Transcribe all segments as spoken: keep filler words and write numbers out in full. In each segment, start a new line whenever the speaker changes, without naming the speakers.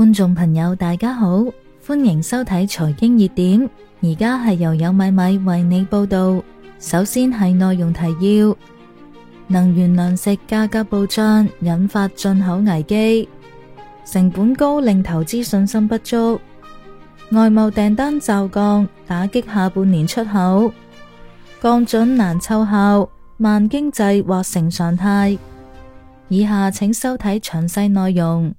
觀眾朋友大家好，歡迎收睇財經熱點，而家係由有米米為你報道。首先係內容提要：能源糧食價格暴漲，引發進口危機；成本高令投資信心不足；外貿訂單驟降，打擊下半年出口；降準難奏效，慢經濟或成常態。以下請收睇詳細內容。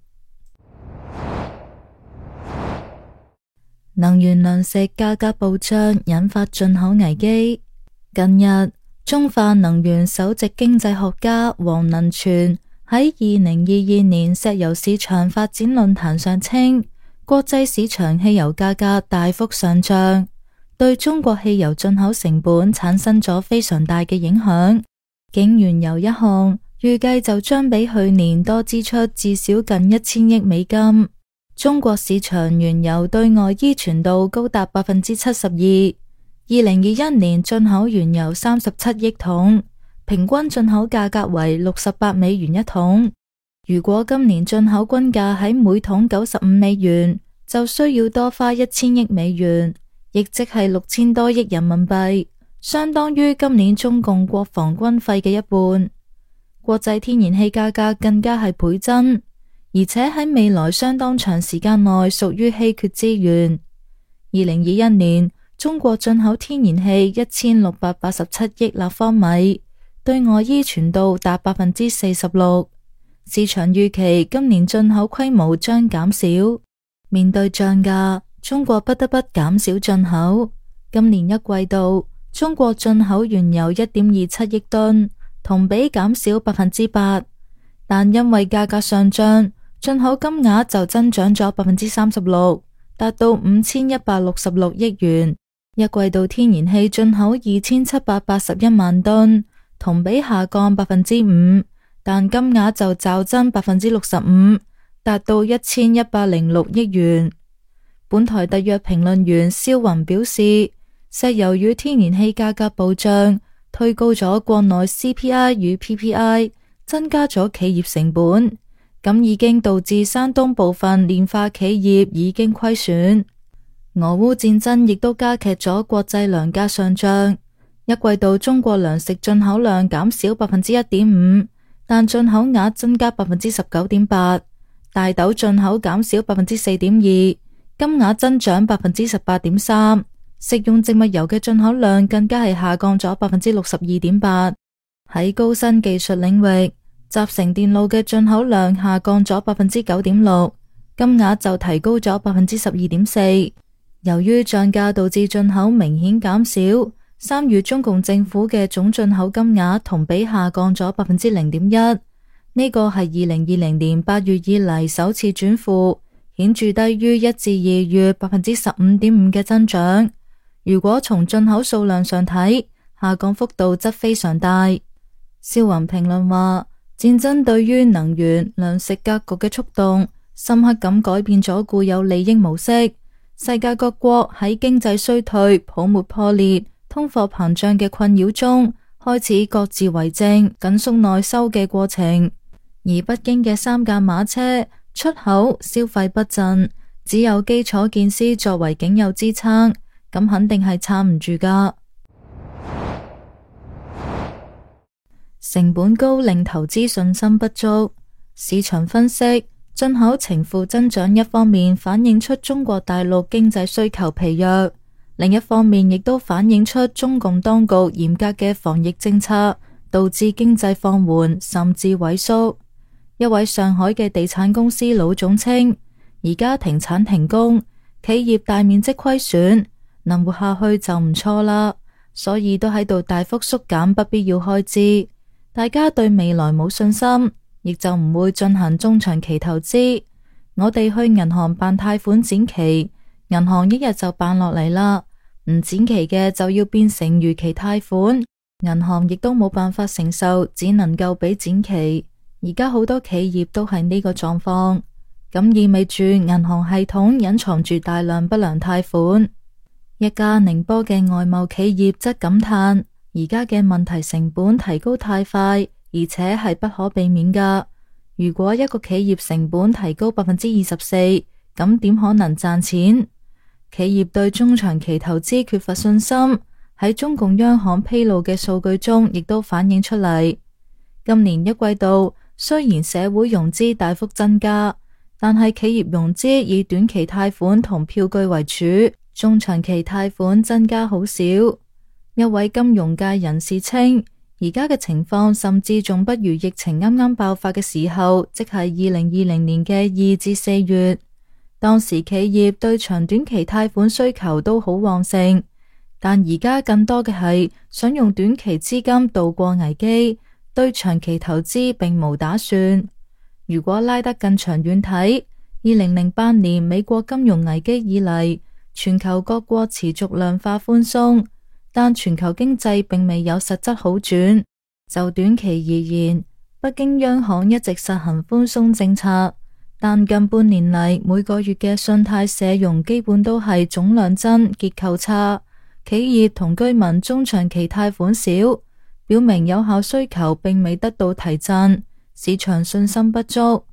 能源糧食價格暴漲，引發進口危機。近日，中化能源首席經濟學家黃能全喺二零二二年石油市場發展論壇上稱，國際市場汽油價格大幅上漲，對中國汽油進口成本產生咗非常大嘅影響。僅原油一項，預計就將比去年多支出至少近一千億美金。中國市場原油對外依存度高達百分之七十二，二零二一年進口原油三十七億桶，平均進口價格為六十八美元一桶。如果今年進口均價喺每桶九十五美元，就需要多花一千億美元，亦即係六千多億人民幣，相當於今年中共國防軍費嘅一半。國際天然氣價格更加係倍增。而且喺未來相當長時間內屬於稀缺資源。二零二一年，中國進口天然氣一千六百八十七億立方米，對外依存度達百分之四十六。市場預期今年進口規模將減少。面對漲價，中國不得不減少進口。今年一季度，中國進口原油一點二七億噸，同比減少百分之八。但因為價格上漲，進口金額就增長咗百分之三十六，達到五千一百六十六億元。一季度天然氣進口二千七百八十一萬噸，同比下降百分之五，但金額就驟增百分之六十五，達到一千一百零六億元。本台特約評論員肖雲表示，石油與天然氣價格暴漲，推高咗國內 C P I 與 P P I， 增加咗企業成本。咁已經導致山東部分煉化企業已經虧損。俄烏戰爭亦都加劇咗國際糧價上漲。一季度中國糧食進口量減少百分之一點五，但進口額增加百分之十九點八。大豆進口減少百分之四點二，金額增長百分之十八點三。食用植物油嘅進口量更加係下降咗百分之六十二點八。喺高新技術領域，集成電路嘅進口量下降咗百分之九點六，金額就提高咗百分之十二點四。由於漲價導致進口明顯減少，三月中共政府嘅總進口金額同比下降咗百分之零點一，呢個係二零二零年八月以嚟首次轉負，顯著低於一至二月百分之十五點五嘅增長。如果從進口數量上睇，下降幅度則非常大。肖雲評論話，戰爭對於能源、糧食格局嘅觸動，深刻咁改變咗固有利益模式。世界各國喺經濟衰退、泡沫破裂、通貨膨脹嘅困擾中，開始各自為政、緊縮內收嘅過程。而北京嘅三駕馬車、出口、消費不振，只有基礎建設作為僅有支撐，咁肯定係撐唔住㗎。成本高令投資信心不足。市場分析，進口呈負增長一方面反映出中國大陸經濟需求疲弱，另一方面亦都反映出中共當局嚴格嘅防疫政策導致經濟放緩甚至萎縮。一位上海嘅地產公司老總稱，而家停產停工，企業大面積虧損，能活下去就唔錯啦，所以都喺度大幅縮減不必要開支。大家對未來冇信心，亦就唔會進行中長期投資。我哋去銀行辦貸款展期，銀行一日就辦落嚟啦，唔展期嘅就要變成逾期貸款，銀行亦都冇辦法承受，只能夠俾展期。而家好多企業都係呢個狀況，咁意味住銀行系統隱藏住大量不良貸款。一家寧波嘅外貿企業則感嘆，而家嘅問題成本提高太快，而且係不可避免㗎。如果一個企業成本提高百分之二十四，咁點可能賺錢？企業對中長期投資缺乏信心，喺中共央行披露嘅數據中亦都反映出嚟。今年一季度雖然社會融資大幅增加，但係企業融資以短期貸款同票據為主，中長期貸款增加好少。一位金融界人士稱，而家嘅情況甚至仲不如疫情啱啱爆發嘅時候，即係二零二零年嘅二至四月。當時企業對長短期貸款需求都好旺盛，但而家更多嘅係想用短期資金度過危機，對長期投資並無打算。如果拉得更長遠睇，二零零八年美國金融危機以嚟，全球各國持續量化寬鬆，但全球經濟並未有實質好轉。就短期而言，北京央行一直實行寬鬆政策，但近半年嚟每個月嘅信貸社融基本都係總量增，結構差，企業同居民中長期貸款少，表明有效需求並未得到提振，市場信心不足。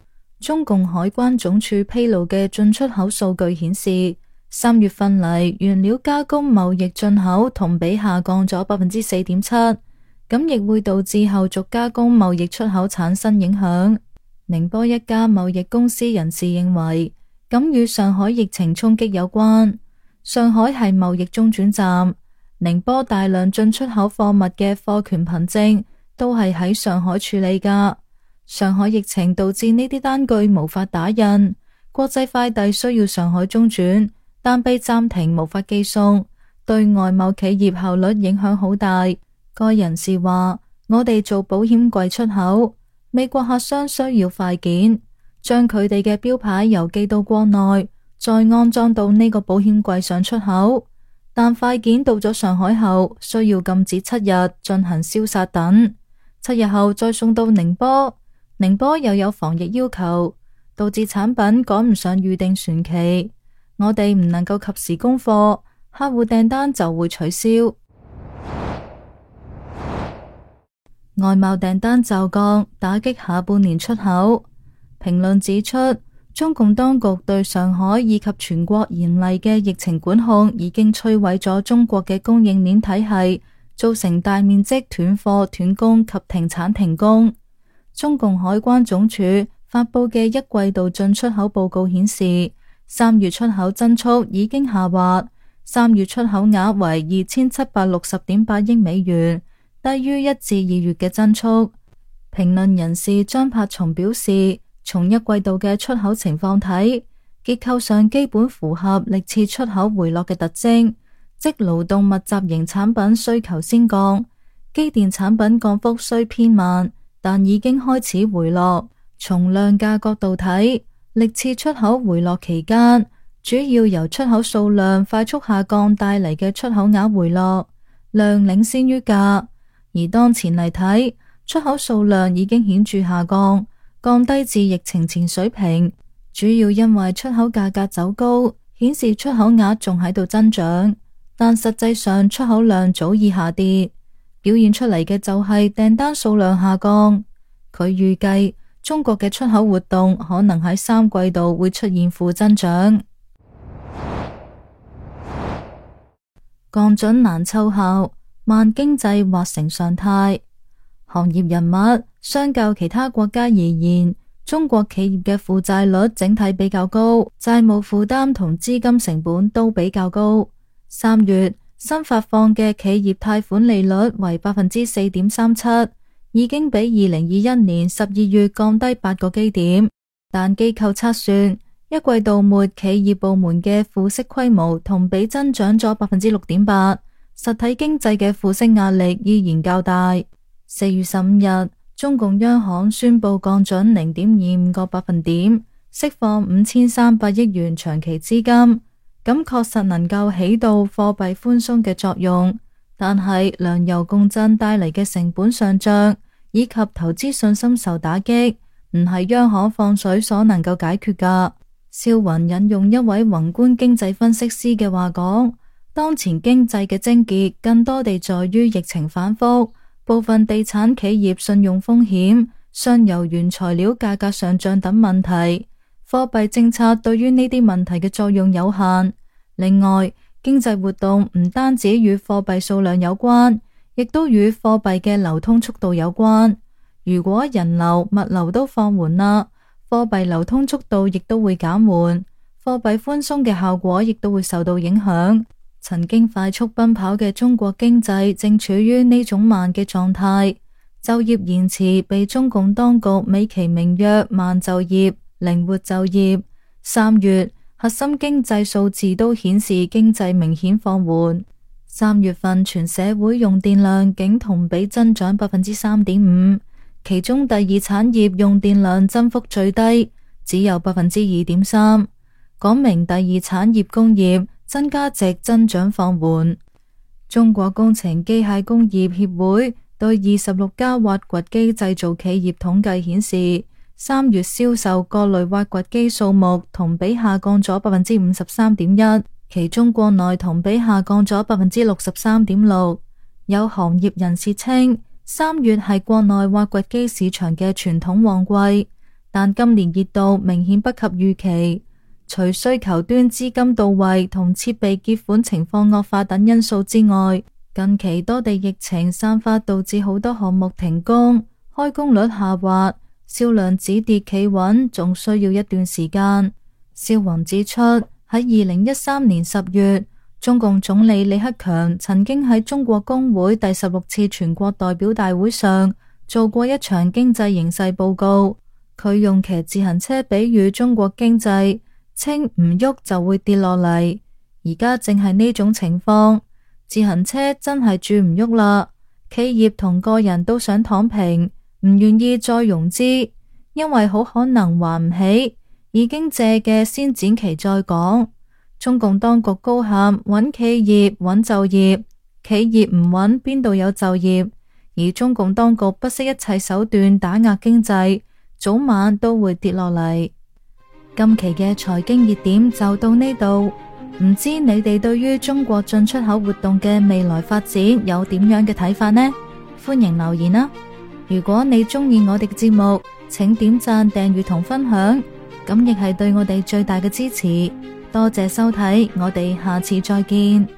中共海關總署披露嘅進出口數據顯示，三月份嚟原料加工貿易進口同比下降咗百分之四點七，咁亦會導致後續加工貿易出口產生影響。寧波一家貿易公司人士認為，咁與上海疫情衝擊有關。上海係貿易中轉站，寧波大量進出口貨物嘅貨權憑證都係喺上海處理噶。上海疫情導致呢啲單據無法打印，國際快遞需要上海中轉，但被暫停無法寄送，對外貿企業效率影響好大。該人士話，我哋做保險櫃出口，美國客商需要快件，將佢哋嘅標牌郵寄到國內，再安裝到呢個保險櫃上出口。但快件到咗上海後，需要禁止七日進行消殺等，七日後再送到寧波，寧波又有防疫要求，導致產品趕唔上預定船期。我哋唔能夠及時供貨，客戶訂單就會取消。外貿訂單驟降，打擊下半年出口。評論指出，中共當局對上海以及全國嚴厲嘅疫情管控，已經摧毀咗中國嘅供應鏈體系，造成大面積斷貨、斷供及停產停工。中共海關總署發佈嘅一季度進出口報告顯示，三月出口增速已經下滑，三月出口額為二千七百六十點八億美元，低於一至二月嘅增速。評論人士張柏松表示，從一季度嘅出口情況睇，結構上基本符合歷次出口回落嘅特徵，即勞動密集型產品需求先降，機電產品降幅雖偏慢，但已經開始回落。從量價角度睇，歷次出口回落期間，主要由出口數量快速下降帶嚟嘅出口額回落，量領先於價。而當前嚟睇，出口數量已經顯著下降，降低至疫情前水平，主要因為出口價格走高，顯示出口額仲喺度增長，但實際上出口量早已下跌，表現出嚟嘅就係訂單數量下降。佢預計中國嘅出口活動可能喺三季度會出現負增長。降準難奏效，慢經濟或成常態。行業人物，相較其他國家而言，中國企業嘅負債率整體比較高，債務負擔同資金成本都比較高。三月新發放嘅企業貸款利率為百分之四點三七，已經比二零二一年十二月降低八個基點，但機構測算一季度末企業部門嘅負息規模同比增長咗百分之六點八，實體經濟嘅負息壓力依然較大。四月十五日，中共央行宣布降準零點二五個百分點，釋放五千三百億元長期資金，咁確實能夠起到貨幣寬鬆嘅作用。但係糧油共振帶嚟嘅成本上漲以及投資信心受打擊，唔係央行放水所能夠解決噶。肖雲引用一位宏觀經濟分析師嘅話講，當前經濟嘅症結更多地在於疫情反覆，部分地產企業信用風險、上游原材料價格上漲等問題，貨幣政策對於呢啲問題嘅作用有限。另外，經濟活動唔單止與貨幣數量有關，亦都與貨幣嘅流通速度有關。如果人流、物流都放緩啦，貨幣流通速度亦都會減緩，貨幣寬鬆嘅效果亦都會受到影響。曾經快速奔跑嘅中國經濟正處於呢種慢嘅狀態，就業延遲被中共當局美其名曰慢就業、靈活就業。三月核心經濟數字都顯示經濟明顯放緩。三月份全社會用電量竟同比增長百分之三點五，其中第二產業用電量增幅最低，只有百分之二點三，講明第二產業工業增加值增長放緩。中國工程機械工業協會對二十六家挖掘機製造企業統計顯示，三月銷售各類挖掘機數目同比下降咗百分之五十三點一，其中國內同比下降咗百分之六十三點六。有行業人士稱，三月係國內挖掘機市場嘅傳統旺季，但今年熱度明顯不及預期。除需求端資金到位同設備結款情況惡化等因素之外，近期多地疫情散發導致好多項目停工，開工率下滑，銷量止跌企穩，仲需要一段時間。肖宏指出，喺二零一三年十月，中共總理李克強曾經喺中國工會第十六次全國代表大會上做過一場經濟形勢報告。佢用騎自行車比喻中國經濟，稱唔喐就會跌落嚟。而家正係呢種情況，自行車真係轉唔喐啦。企業同個人都想躺平，唔願意再融資，因為好可能還唔起，已經借嘅先展期再講。中共當局高喊穩企業、穩就業，企業唔穩邊度有就業？而中共當局不惜一切手段打壓經濟，早晚都會跌落嚟。今期嘅財經熱點就到呢度，唔知你哋對於中國進出口活動嘅未來發展有點樣嘅睇法呢？歡迎留言啦！如果你中意我哋嘅節目，請點讚、訂閱同分享，咁亦係對我哋最大嘅支持。多謝收睇，我哋下次再見。